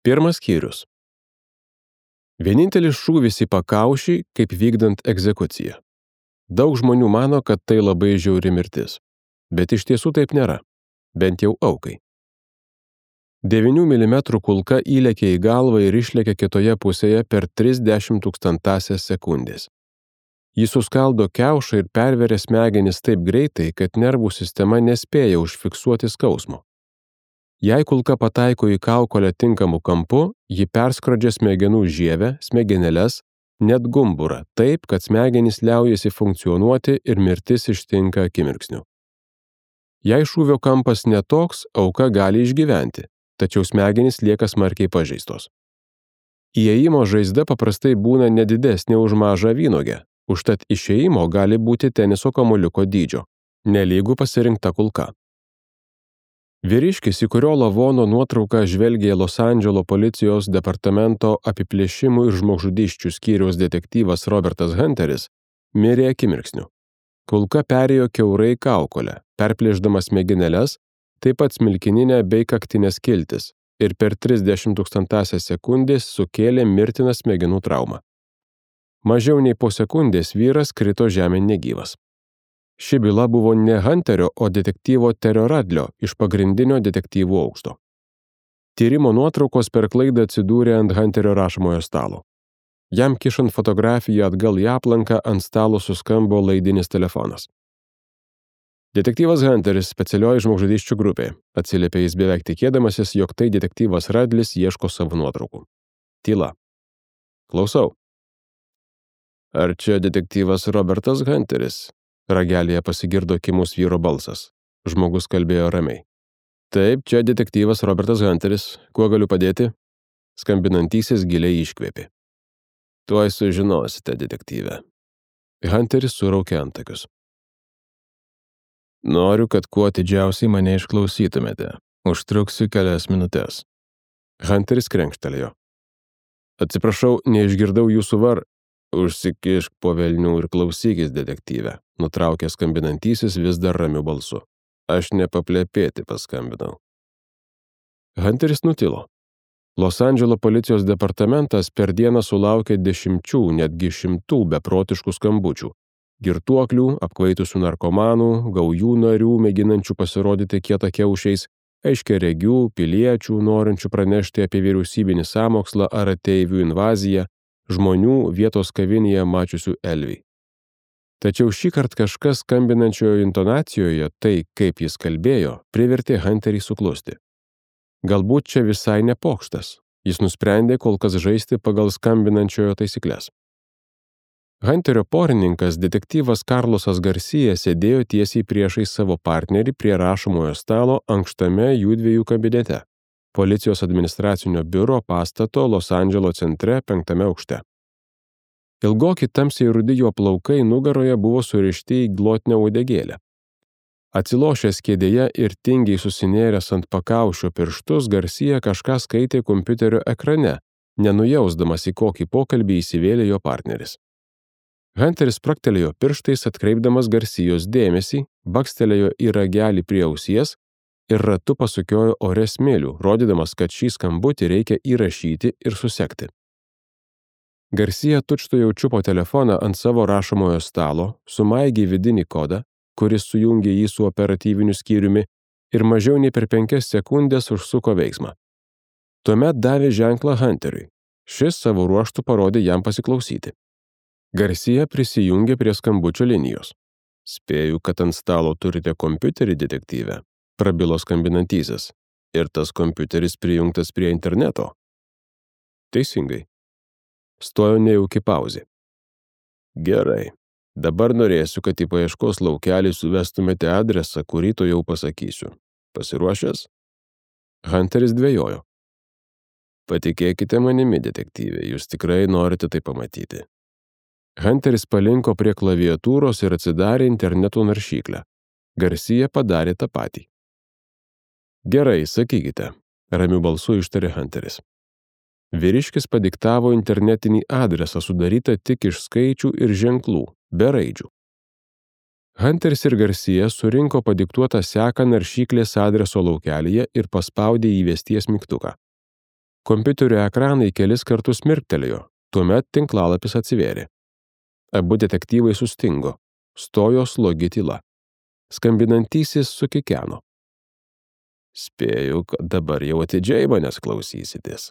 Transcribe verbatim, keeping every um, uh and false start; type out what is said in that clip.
Pirmas skyrius. Vienintelis šūvis į pakaušį, kaip vykdant egzekuciją. Daug žmonių mano, kad tai labai žiauri mirtis. Bet iš tiesų taip nėra. Bent jau aukai. devynių milimetrų kulka įlėkė į galvą ir išlėkė kitoje pusėje per trisdešimt tūkstantąsias sekundės. Jis suskaldo kiaušą ir perveria smegenis taip greitai, kad nervų sistema nespėja užfiksuoti skausmo. Jei kulka pataiko į kaukolę tinkamu kampu, ji perskrodžia smegenų žievę, smegeneles, net gumburą, taip, kad smegenys liaujasi funkcionuoti ir mirtis ištinka akimirksniu. Jei šūvio kampas netoks, auka gali išgyventi, tačiau smegenys lieka smarkiai pažeistos. Įėjimo žaizda paprastai būna nedidesnė už mažą vynuogę, užtat išėjimo gali būti teniso kamuoliuko dydžio, nelygų pasirinkta kulka. Vyriškis, į kurio lavono nuotrauką žvelgė Los Andželo policijos departamento apiplėšimų ir žmogžudysčių skyriaus detektyvas Robertas Hunteris, mirė akimirksniu. Kulka perėjo kiaurai kaukolę, perplėšdamas smegeneles, taip pat smilkininę bei kaktinės skiltis ir per trisdešimt tūkstantąsias sekundės sukėlė mirtiną smegenų traumą. Mažiau nei po sekundės vyras krito žemėn negyvas. Ši byla buvo ne Hunterio, o detektyvo Terio Radlio iš pagrindinio detektyvų aukšto. Tyrimo nuotraukos per klaidą atsidūrė ant Hunterio rašomojo stalo. Jam kišant fotografiją atgal į aplanką, ant stalo suskambo laidinis telefonas. Detektyvas Hunteris, specialioji žmogžudysčių grupė, atsiliepė jis beveik tikėdamasis, jog tai detektyvas Radlis ieško savo nuotraukų. Tyla. Klausau. Ar čia detektyvas Robertas Hunteris? Ragelėje pasigirdo kimus vyro balsas. Žmogus kalbėjo ramiai. Taip, čia detektyvas Robertas Hunteris. Kuo galiu padėti? Skambinantysis giliai iškvėpė. Tuoj sužinosite, detektyve. Hunteris suraukė antakius. Noriu, kad kuo atidžiausiai mane išklausytumėte. Užtruksiu kelias minutės. Hunteris krenkštelėjo. Atsiprašau, neišgirdau jūsų var... Užsikišk po velnių ir klausykis, detektyve, nutraukė skambinantysis vis dar ramiu balsu. Aš nepaplepėti paskambinau. Hunteris nutilo. Los Andželo policijos departamentas per dieną sulaukė dešimčių, netgi šimtų beprotiškų skambučių. Girtuoklių, apkvaitusių narkomanų, gaujų narių, mėginančių pasirodyti kietakiaušiais, aiškiaregių, piliečių, norinčių pranešti apie vyriausybinį sąmokslą ar ateivių invaziją, žmonių vietos kavinėje mačiusių Elvį. Tačiau šįkart kažkas skambinančiojo intonacijoje, tai kaip jis kalbėjo, privertė Hunterį suklusti. Galbūt čia visai nepokštas. Jis nusprendė kol kas žaisti pagal skambinančiojo taisyklės. Hunterio porininkas, detektyvas Karlosas Garcia, sėdėjo tiesiai priešais savo partnerį prie rašomojo stalo ankštame jųdviejų kabinete. Policijos administracinio biuro pastato Los Andželo centre penktame aukšte. Ilgoki tamsiai rudi jo plaukai nugaroje buvo surišti į glotnią uodegėlę. Atsilošęs kėdėje ir tingiai susinėręs ant pakaušio pirštus, Garcia kažką skaitė kompiuterio ekrane, nenujausdamas į kokį pokalbį įsivėlė jo partneris. Hunteris spraktelėjo pirštais, atkreipdamas Garcijos dėmesį, bakstelėjo į ragelį prie ausies ir ratu pasukiojo ore smėlių, rodydamas, kad šį skambutį reikia įrašyti ir susekti. Garcia tučtuojau čiupo telefoną ant savo rašomojo stalo, sumaigė vidinį kodą, kuris sujungė jį su operatyviniu skyriumi ir mažiau nei per penkias sekundės užsuko veiksmą. Tuomet davė ženklą Hunteriui. Šis savo ruožtu parodė jam pasiklausyti. Garcia prisijungė prie skambučio linijos. Spėju, kad ant stalo turite kompiuterį, detektyve. Prabilo skambinantysis. Ir tas kompiuteris prijungtas prie interneto. Teisingai. Stojo nejauki pauzė. Gerai. Dabar norėsiu, kad į paieškos laukelį suvestumėte adresą, kurį to jau pasakysiu. Pasiruošęs? Hunteris dvejojo. Patikėkite manimi, detektyvė, jūs tikrai norite tai pamatyti. Hunteris palinko prie klaviatūros ir atsidarė interneto naršyklę. Garcia padarė tą patį. Gerai, sakykite, ramiu balsu ištarė Hunteris. Vyriškis padiktavo internetinį adresą sudarytą tik iš skaičių ir ženklų, be raidžių. Hunteris ir Garcia surinko padiktuotą seką naršyklės adreso laukelyje ir paspaudė įvesties mygtuką. Kompiuterio ekranai kelis kartus mirktelėjo, tuomet tinklalapis atsivėrė. Abu detektyvai sustingo, stojo slogi tyla. Skambinantysis sukikeno. Spėju, kad dabar jau atidžiai manęs klausysitės.